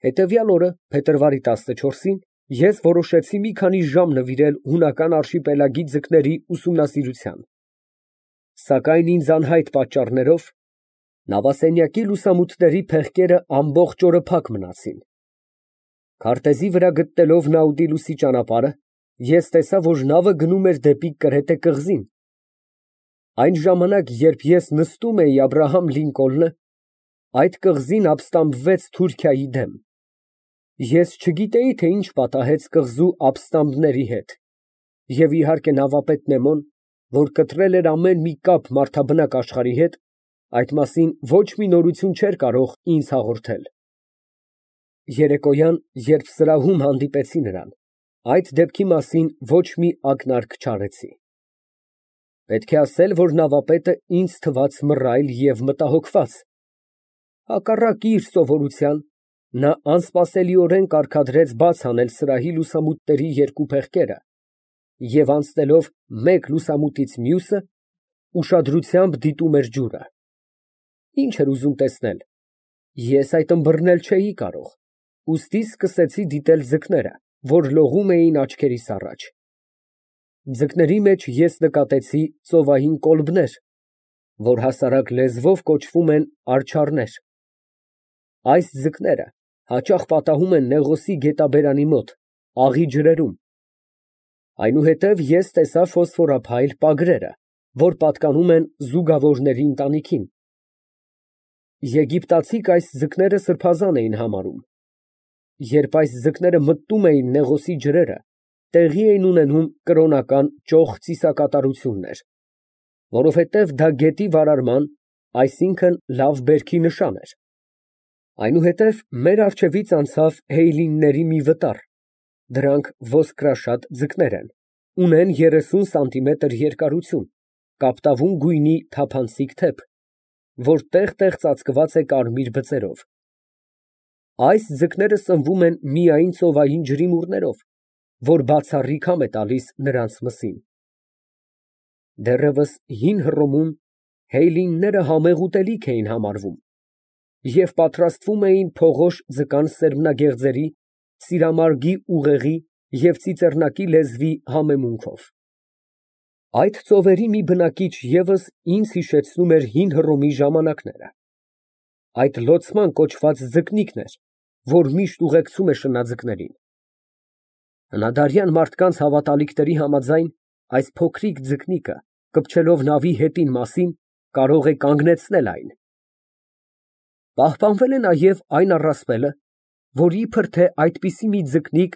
Հետևյալ օրը, փետրվարի 14-ին, ես որոշեցի մի քանի ժամ նվիրել հունական արշիպելագի ձկների ուսումնասիրությանը, սակայն ինձ անհայտ պատճառներով նավասենյակի լուսամուտների փեղկերը ամբողջ օրը փակ մնացին։ Քարտեզի վրա գտնելով Նաուտիլուսի ճանապարհը, ես տեսա, որ նավը գնում էր դեպի Կրետե կղզին։ Այն ժամանակ, երբ ես նստում էի Աբրահամ Լինկոլնը, այդ կղզին ապստամբվեց Թուրքիայի դեմ։ Ես չգիտեի, թե ինչ պատահեց կղզու ապստամբների հետ, և իհարկե նավապետ Նեմոն, որ կտրել էր ամեն մի կապ մարդաբնակ աշխարհի հետ, այդ մասին ոչ մի նորություն չէր կարող ինձ հաղորդել։ Երեկոյան, երբ սրահում հանդիպեցի նրան, այդ դեպքի մասին ոչ մի ակնարկ չարեցի։ Պետք է ասել, որ նավապետը ինձ թվաց մռայլ և մտահոգված։ Հակառակ իր սովորության, նա անսպասելիորեն կարգադրեց բաց անել սրահի լուսամուտների երկու փեղկերը և, անցնելով մեկ լուսամուտից մյուսը, ուշադրությամբ դիտում էր ջուրը։ Ինչ էր ուզում տեսնել։ Ես այդ ըմբռնել չէի կարող, ուստի սկսեցի դիտել ձկները, որ լողում էին աչքերիս առաջ։ Ձկների մեջ ես նկատեցի ծովային կոլբներ, որ հասարակ լեզվով կոչվում են արջառներ։ Այս ձկները հաճախ պատահում են Նեղոսի գետաբերանի մոտ, աղի ջրերում։ Այնուհետև ես տեսա ֆոսֆորափայլ պագրերը, որ պատկանում են զուգավորների ընտանիքին։ Եգիպտացիք այս ձկները սրբազան էին համարում։ Երբ այս ձկները մտնում էին Նեղոսի ջրերը, տեղի էին ունենում կրոնական ճոխ ծիսակատարություններ, որովհետև դա գետի վարարման, այսինքն լավ բերքի նշան էր։ Այնուհետև մեր առջևից անցավ հեյլինների մի վտար, դրանք ոսկրաշատ ձկներ են, ունեն 30 սանտիմետր երկարություն, կապտավուն գույնի թափանցիկ թեփ, որ տեղ֊տեղ ծածկված է կարմիր բծերով։ Այս ձկները սնվում են միայն ծովային ջրիմուռներով, որ բացառիկ համ է տալիս նրանց մսին։ Դեռևս հին Հռոմում հեյլինները համեղ ուտելիք էին համարվում և պատրաստվում էին փողոշ ձկան սերմնագեղձերի, սիրամարգի ուղեղի և ծիծեռնակի լեզվի համեմունքով։ Այդ ծովերի մի բնակիչ ևս ինձ հիշեցնում էր հին Հռոմի ժամանակները։ Այդ լոցման կոչված ձկնիկն էր, որ միշտ ուղեկցում է շնաձկներին։ Հնադարյան մարդկանց հավատալիքների համաձայն, այս փոքրիկ ձկնիկը, կպչելով նավի հետին մասին, կարող է կանգնեցնել այն։ Պահպանվել է նաև այն առասպելը, որ իբր թե այդպիսի մի ձկնիկ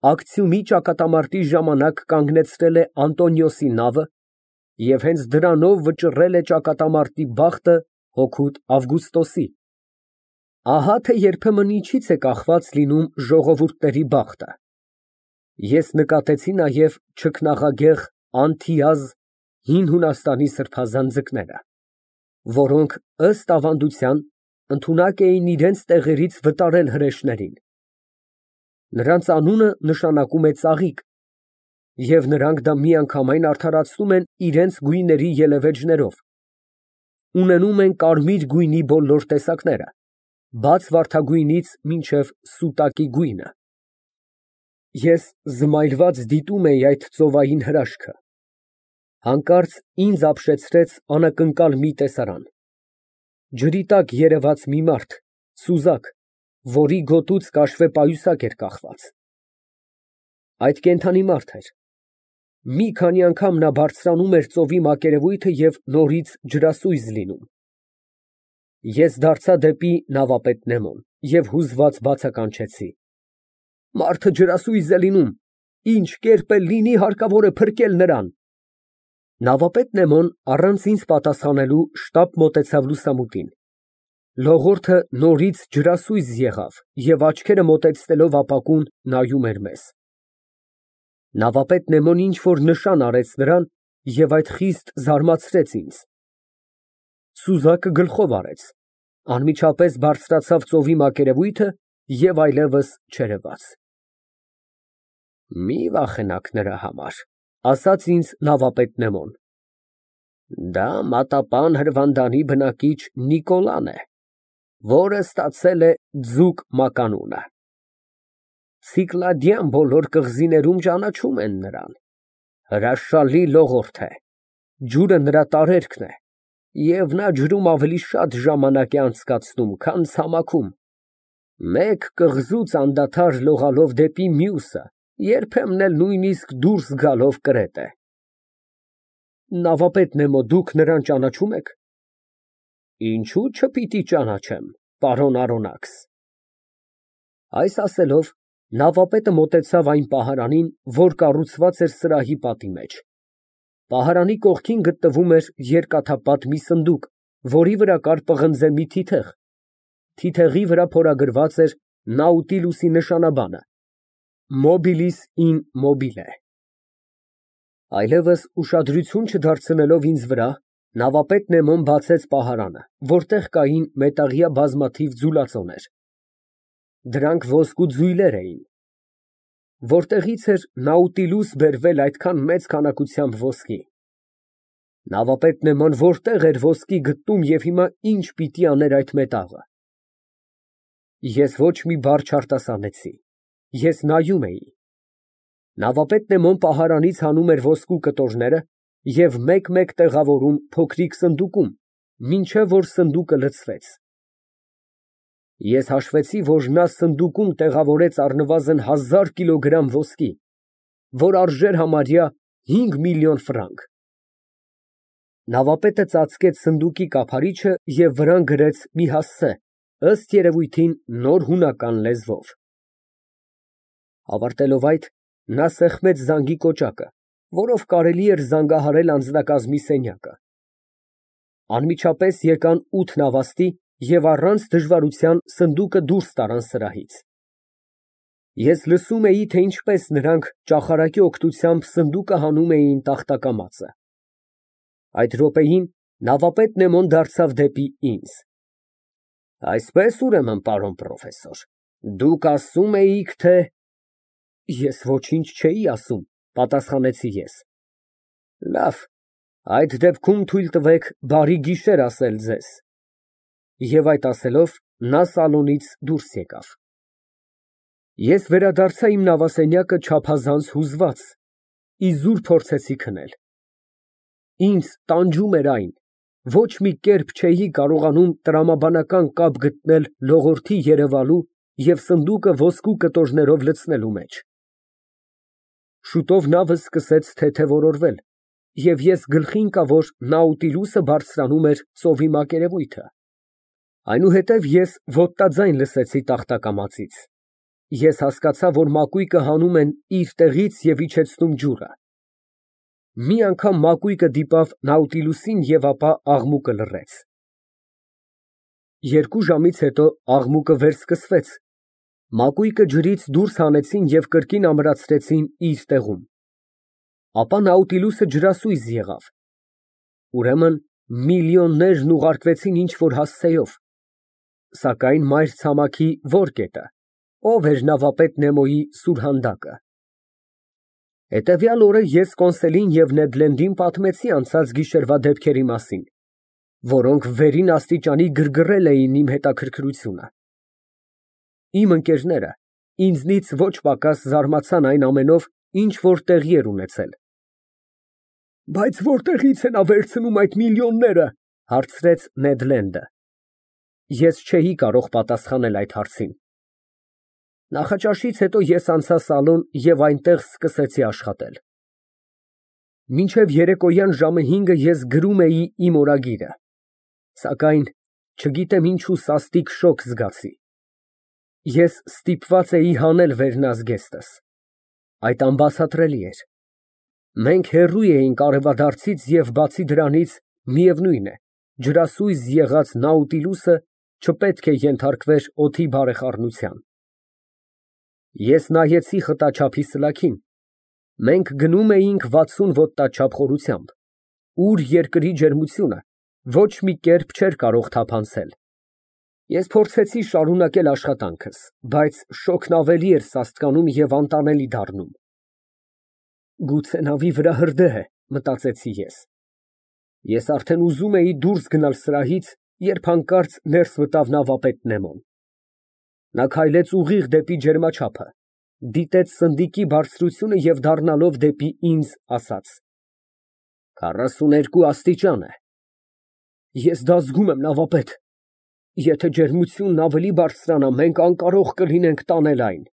Ակցիումի ճակատամարտի ժամանակ կանգնեցրել է Անտոնիոսի նավը և հենց դրանով վճռել է ճակատամարտի բախտը հօգուտ Ավգուստոսի։ Ահա թե երբեմն ինչից է կախված լինում ժողովուրդների բախտը։ Ես նկատեցի նաև չքնաղագեղ անթիազ հին Հունաստանի սրբազան ձկները, որոնք, ըստ ավանդության, ընդունակ էին իրենց տեղերից վտարել հրեշներին։ Նրանց անունը նշանակում է ծաղիկ, և նրանք դա միանգամայն արդարացնում են իրենց գույների ելևէջներով։ Ունենում են կարմիր գույնի բոլոր տեսակները, բաց վարդագույնից մինչև սուտակի գույնը։ Ես զմայլված դիտում էի այդ ծովային հրաշքը։ Հանկարծ ինձ ապշեցրեց անակնկալ մի տեսարան։ Ջրի տակ երևաց մի մարդ, սուզակ, որի գոտուց կաշվե պայուսակ էր կախված։ Այդ կենդանի մարդ էր։ Մի քանի անգամ նա բարձրանում էր ծովի մակերևույթը և նորից ջրասույզ լինում։ Ես դարձա դեպի նավապետ Նեմոն և հուզված բացականչեցի. Մարդը ջրասույզ է լինում, ինչ կերպ էլ լինի, հարկավոր է փրկել նրան։ Նավապետ Նեմոն առանց ինձ պատասխանելու շտապ մոտեցավ լուսամուտին։ Լողորդը նորից ջրասույզ եղավ և աչքերը մոտեցնելով ապակուն նայում էր մեզ։ Նավապետ Նեմոն ինչ֊որ նշան արեց նրան և այդ խիստ զարմացրեց ինձ։ Սուզակը գլխով արեց, անմիջապես բարձրացավ ծովի մակերևույթը և այլևս չերևաց։ Մի վախենաք նրա համար, ասաց ինձ նավապետ Նեմոն։ Դա մատապան հրվանդանի բնակիչ Նիկոլան է, որը ստացել է ձուկ մականունը։ Ցիկլադյան բոլոր կղզիներում ճանաչում են նրան։ Հրաշալի լողորդ է, ջուրը նրա տարերքն է, և նա ջրում ավելի շատ ժամանակ է անցկացնում, քան ցամաքում։ Մեկ կղզուց անդադար լողալով դեպի մյուսը, երբեմն էլ նույնիսկ դուրս գալով կրետ է։ Նավապետ Նեմո, դուք նրան ճանաչում եք։ Ինչու չպիտի ճանաչեմ, պարոն Արոնաքս։ Այս ասելով, նավապետը մոտեցավ այն պահարանին, որ կառուցված էր սրահի պատի մեջ։ Պահարանի կողքին գտնվում էր երկաթապատ մի սնդուկ, որի վրա կար պղնձե մի թիթեղ։ Թիթեղի վրա փորագրված էր Նաուտիլուսի նշանաբանը, Mobilis in mobile։ Այլևս ուշադրություն չդարձնելով ինձ վրա, նավապետ Նեմոն բացեց պահարանը, որտեղ կային մետաղյա բազմաթիվ ձուլածոներ։ Դրանք ոսկու ձույլեր էին։ Որտեղից էր Նաուտիլուս բերվել այդքան մեծ քանակությամբ ոսկի։ Նավապետ Նեման որտեղ էր ոսկի գտնում և հիմա ինչ պիտի աներ այդ մետաղը։ Ես ոչ մի բառ չարտասանեցի։ Ես նայում էի։ Նավապետ Նեմոն պահարանից հանում էր ոսկու կտորները և մեկ-մեկ տեղավորում փոքրիկ սնդուկում, մինչև որ սնդուկը լցվեց։ Ես հաշվեցի, որ նա սնդուկում տեղավորեց առնվազն 1000 կիլոգրամ ոսկի, որ արժեր համարյա 5 միլիոն ֆրանկ։ Նավապետը ծածկեց սնդուկի կափարիչը և վրան գրեց մի հասցե, ըստ երևույթին նոր հունական լեզվով։ Ավարտելով այդ, նա սեղմեց զանգի կոճակը, որով կարելի էր զանգահարել անձնակազմի սենյակը։ Անմիջապես եկան 8 նավաստի և առանց դժվարության սնդուկը դուրս տարան սրահից։ Ես լսում էի, թե ինչպես նրանք ճախարակի օգնությամբ սնդուկը հանում էին տախտակամածը։ Այդ րոպեին նավապետ Նեմոն դարձավ դեպի ինձ։ Այսպես ուրեմն, պարոն պրոֆեսոր, դուք ասում էիք, թե… Ես ոչինչ չէի ասում, պատասխանեցի ես։ Լավ, այդ դեպքում թույլ տվեք բարի գիշեր ասել ձեզ։ Եվ այդ ասելով, նա սալոնից դուրս եկավ։ Ես վերադարձա իմ նավասենյակը չափազանց հուզված, իզուր փորձեցի քնել։ Ինձ տանջում էր այն, ոչ մի կերպ չէի կարողանում տրամաբանական կապ գտնել լողորդի երևալու և սնդուկը ոսկու կտորներով լցնելու մեջ։ Շուտով նավը սկսեց թեթևորորվել, և ես գլխի ընկա, որ Նաուտիլուսը բարձրանում էր ծովի մակերևույթը։ Այնուհետև ես ոտնաձայն լսեցի տախտակամածից։ Ես հասկացա, որ մակույկը հանում են իր տեղից և իջեցնում ջուրը։ Մի անգամ մակույկը դիպավ Նաուտիլուսին և ապա աղմուկը լռեց։ 2 ժամից հետո աղմուկը վերսկսվեց, մակույկը ջրից դուրս հանեցին և կրկին ամրացրեցին իր տեղում։ Ապա Նաուտիլուսը ջրասույզ եղավ։ Ուրեմն միլիոններն ուղարկվեցին ինչ֊որ հասցեով։ Սակայն մայր ցամաքի ո՞ր կետը, ո՞վ էր նավապետ Նեմոյի սուրհանդակը։ Հետևյալ օրը ես Կոնսելին և Նեդ Լենդին պատմեցի անցած գիշերվա դեպքերի մասին, որոնք վերին աստիճանի գրգռել էին իմ հետաքրքրությունը։ Իմ ընկերները ինձնից ոչ պակաս զարմացան այն ամենով, ինչ որ տեղի էր ունեցել։ Բայց որտեղի՞ց է նա վերցնում այդ միլիոնները, հարցրեց Նեդ Լենդը։ Ես չէի կարող պատասխանել այդ հարցին։ Նախաճաշից հետո ես անցա սալոն և այնտեղ սկսեցի աշխատել։ Մինչև երեկոյան ժամը 5-ը ես գրում էի իմ օրագիրը, սակայն չգիտեմ ինչու սաստիկ շոկ զգացի։ Ես ստիպված էի հանել վերնազգեստս։ Այդ անբացատրելի էր։ Մենք հեռու էինք արևադարձից և բացի դրանից, միևնույն է, ջրասույզ եղած Նաուտիլուսը չպետք է ենթարկվեր օդի բարեխառնության։ Ես նայեցի խտաչափի սլաքին։ Մենք գնում էինք 60 ոտնաչափ խորությամբ, ուր երկրի ջերմությունը ոչ մի կերպ չէր կարող թափանցել։ Ես փորձեցի շարունակել աշխատանքս, բայց շոգն ավելի էր սաստկանում և անտանելի դառնում։ Գուցե նավի վրա հրդեհ է, մտածեցի ես։ Ես արդեն ուզում էի դուրս գնալ սրահից, երբ հանկարծ ներս մտավ նավապետ Նեմոն։ Նա քայլեց ուղիղ դեպի ջերմաչափը, դիտեց սնդիկի բարձրությունը և դառնալով դեպի ինձ, ասաց. 42 աստիճան է։ Ես դա զգում եմ, նավապետ, եթե ջերմությունն ավելի բարձրանա, մենք անկարող կլինենք տանել այն։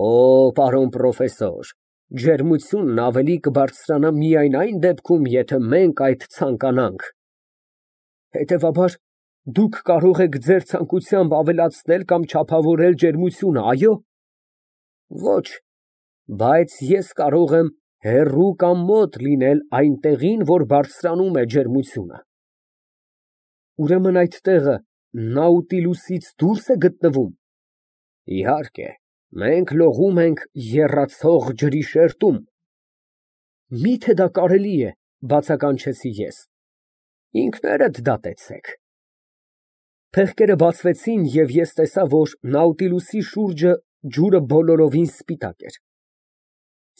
Օ, պարոն պրոֆեսոր, ջերմությունն ավելի կբարձրանա միայն այն դեպքում, եթե մենք այդ ցանկանանք։ Հետևաբար, դուք կարող եք ձեր ցանկությամբ ավելացնել կամ չափավորել ջերմությունը, այո՞։ Ոչ, բայց ես կարող եմ հեռու կամ մոտ լինել այն տեղին, որ բարձրանում է ջերմությունը։ Ուրեմն այդ տեղը Նաուտիլուսից դուրս է գտնվում։ Իհարկե, մենք լողում ենք եռացող ջրի շերտում։ Մի՞թե դա կարելի է, բացականչեցի ես։ Ինքներդ դատեցեք։ Փեղկերը բացվեցին, և ես տեսա, որ Նաուտիլուսի շուրջը ջուրը բոլորովին սպիտակ էր։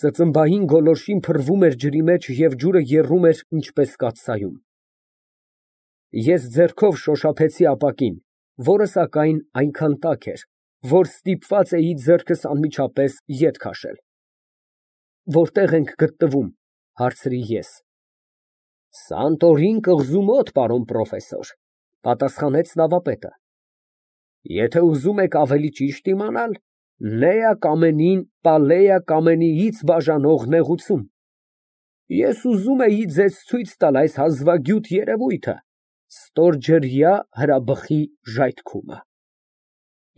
Ծծմբային գոլորշին փռվում էր ջրի մեջ, և ջուրը եռում էր ինչպես կաթսայում։ Ես ձեռքով շոշափեցի ապակին, որը, սակայն, այնքան տաք էր, որ ստիպված էի ձեռքս անմիջապես ետ քաշել։ Որտե՞ղ ենք գտնվում, հարցրի ես։ Սանտորին կղզու մոտ, պարոն պրոֆեսոր, պատասխանեց նավապետը։ Եթե ուզում եք ավելի ճիշտ իմանալ, Նեա Կամենին Պալեա Կամենիից բաժանող նեղուցում։ Ես ուզում էի ձեզ ցույց տալ այս հազվագյուտ երևույթը, ստորջրյա հրաբխի ժայթքումը։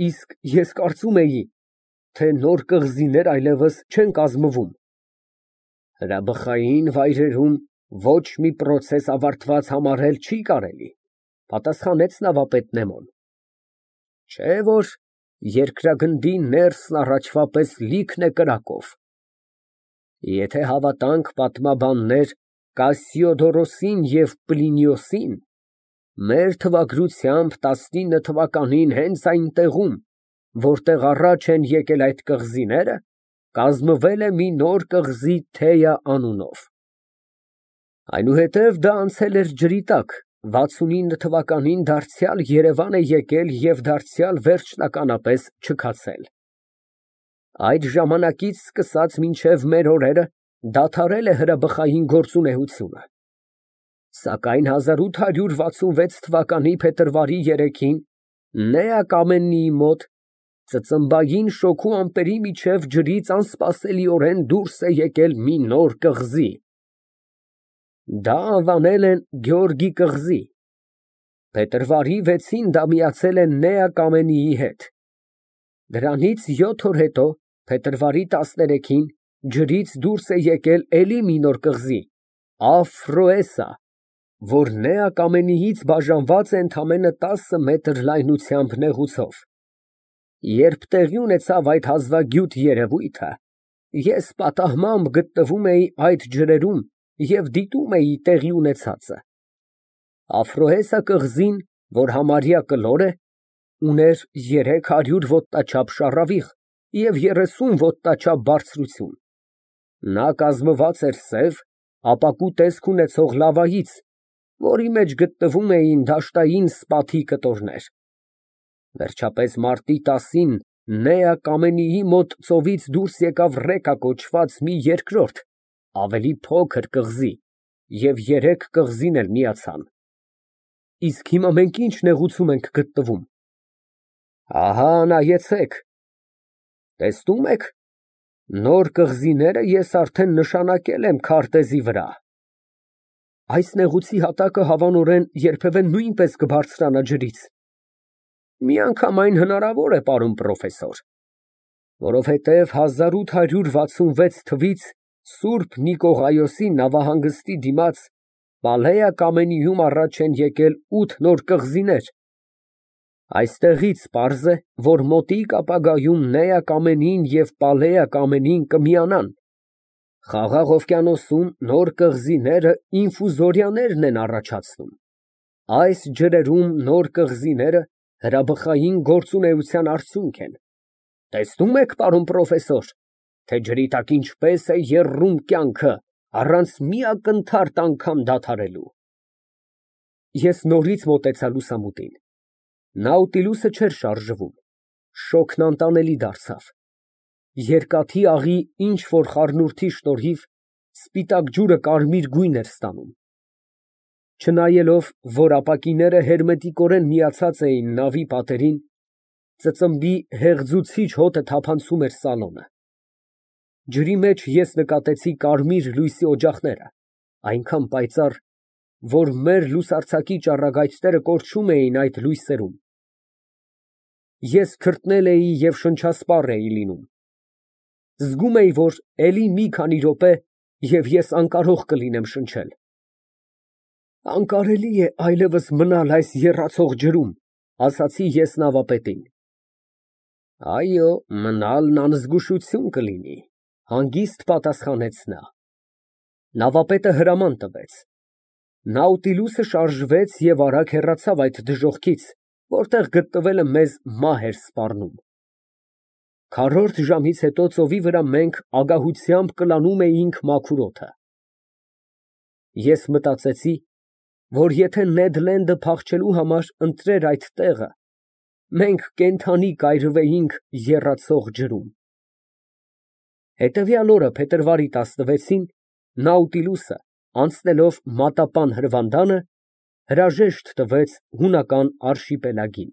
Իսկ ես կարծում էի, թե նոր կղզիներ այլևս չեն կազմվում։ Հրաբխային վայրերում ոչ մի պրոցես ավարտված համարել չի կարելի, պատասխանեց նավապետ Նեմոն։ Չէ՞ որ երկրագնդի ներսն առաջվա պես լիքն է կրակով։ Եթե հավատանք պատմաբաններ Կասիոդորոսին և Պլինիոսին, մեր թվագրությամբ 19 թվականին հենց այն տեղում, որտեղ առաջ են եկել այդ կղզիները, կազմվել է մի նոր կղզի Թեյա անունով։ Այնուհետև դա անցել էր ջրի տակ, 69 թվականին դարձյալ Երևան է եկել և դարձյալ վերջնականապես չքացել։ Այդ ժամանակից սկսած մինչև մեր օրերը դադարել է հրաբխային գործունեությունը։ Սակայն 1866 թվականի փետրվարի 3-ին Նեա Կամենիի մոտ ծծմբային շոգու ամպերի միջև ջրից անսպասելիորեն դուրս է եկել մի նոր կղզի։ Դա անվանել են Գեորգի կղզի։ Փետրվարի 6-ին դա միացել է Նեա Կամենիի հետ։ Դրանից 7 օր հետո, փետրվարի 13-ին, ջրից դուրս է եկել էլի մի նոր կղզի՝ Աֆրոեսա, որ Նեա Կամենիից բաժանված է ընդամենը 10 մետր լայնությամբ նեղուցով։ Երբ տեղի ունեցավ այդ հազվագյուտ երևույթը, ես պատահմամբ գտնվում էի այդ ջրերում և դիտում էի տեղի ունեցածը։ Աֆրոեսա կղզին, որ համարյա կլոր է, ուներ 300 ոտնաչափ շառավիղ և 30 ոտնաչափ բարձրություն։ Նա կազմված էր սև, ապակու տեսք ունեցող լավայից, որի մեջ գտնվում էին դաշտային սպաթի կտորներ։ Վերջապես մարտի 10-ին Նեա Կամենիի մոտ ծովից դուրս եկավ Ռեկա կոչված մի երկրորդ, ավելի փոքր կղզի, և 3 կղզին էլ միացան։ Իսկ հիմա մենք ինչ նեղուցում ենք գտնվում։ Ահա նայեցեք։ Տեսնում եք, նոր կղզիները ես արդեն նշանակել եմ քարտեզի վրա։ Այս նեղուցի հատակը հավանորեն երբևէ նույնպես կբարձրանա ջրից։ Միանգամայն հնարավոր է, պարոն պրոֆեսոր, որովհետև 1866 թվից Սուրբ Նիկողայոսի նավահանգստի դիմաց Պալեա Կամենիում առաջ են եկել 8 նոր կղզիներ։ Այստեղից պարզ է, որ մոտիկ ապագայում Նեա Կամենին և Պալեա Կամենին կմիանան։ Խաղաղ օվկիանոսում նոր կղզիները ինֆուզորիաներն են առաջացնում։ Այս ջրերում նոր կղզիները հրաբխային գործունեության արդյունք են։ Տեսնում եք, պարոն պրոֆեսոր, թե ջրի տակ ինչպես է եռում կյանքը, առանց մի ակնթարթ անգամ դադարելու։ Ես նորից մոտեցա լուսամուտին։ Նաուտիլուսը չէր շարժվում, շոգն անտանելի դարձավ։ Երկաթի աղի ինչ֊որ խառնուրդի շնորհիվ սպիտակ ջուրը կարմիր գույն էր ստանում։ Չնայելով, որ ապակիները հերմետիկորեն միացած էին նավի պատերին, ծծմբի հեղձուցիչ հոտը թափանցում էր սալոնը։ Ջրի մեջ ես նկատեցի կարմիր լույսի օջախները, այնքան պայծառ, որ մեր լուսարձակի ճառագայթները կորչում էին այդ լույսերում։ Ես քրտնել էի և շնչասպառ էի լինում։ Զգում էի, որ էլի մի քանի րոպե, և ես անկարող կլինեմ շնչել։ Անկարելի է այլևս մնալ այս եռացող ջրում, ասացի ես նավապետին։ Այո, մնալն անզգուշություն կլինի, հանգիստ պատասխանեց նա։ Նավապետը հրաման տվեց։ Նաուտիլուսը շարժվեց և արագ հեռացավ այդ դժոխքից, որտեղ գտնվելը մեզ մահ էր սպառնում։ Քառորդ ժամից հետո ծովի վրա մենք ագահությամբ կլանում էինք մաքուր օդը։ Ես մտածեցի, որ եթե Նեդ Լենդը փախչելու համար ընտրեր այդ տեղը, մենք կենդանի կայրվեինք եռացող ջրում։ Հետևյալ օրը փետրվարի 16-ին Նաուտիլուսը, անցնելով մատապան հրվանդանը, հրաժեշտ տվեց հունական արշիպելագին։